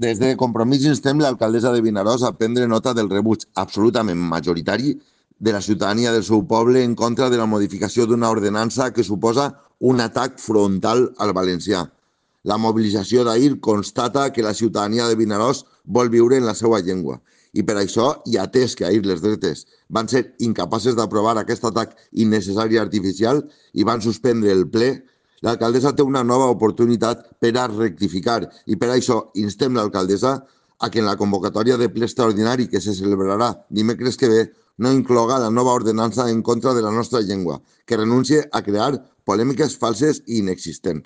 Des de Compromís instem l'alcaldessa de Vinaròs a prendre nota del rebuig absolutament majoritari de la ciutadania del seu poble en contra de la modificació d'una ordenança que suposa un atac frontal al valencià. La mobilització d'ahir constata que la ciutadania de Vinaròs vol viure en la seva llengua i per això, i atès que ahir les dretes van ser incapaces d'aprovar aquest atac innecessari i artificial i van suspendre el ple, l'alcaldessa té una nova oportunitat per a rectificar i per això instem l'alcaldessa a que en la convocatòria de ple extraordinari que se celebrarà dimecres que ve no incloga la nova ordenança en contra de la nostra llengua, que renuncie a crear polèmiques falses i inexistents.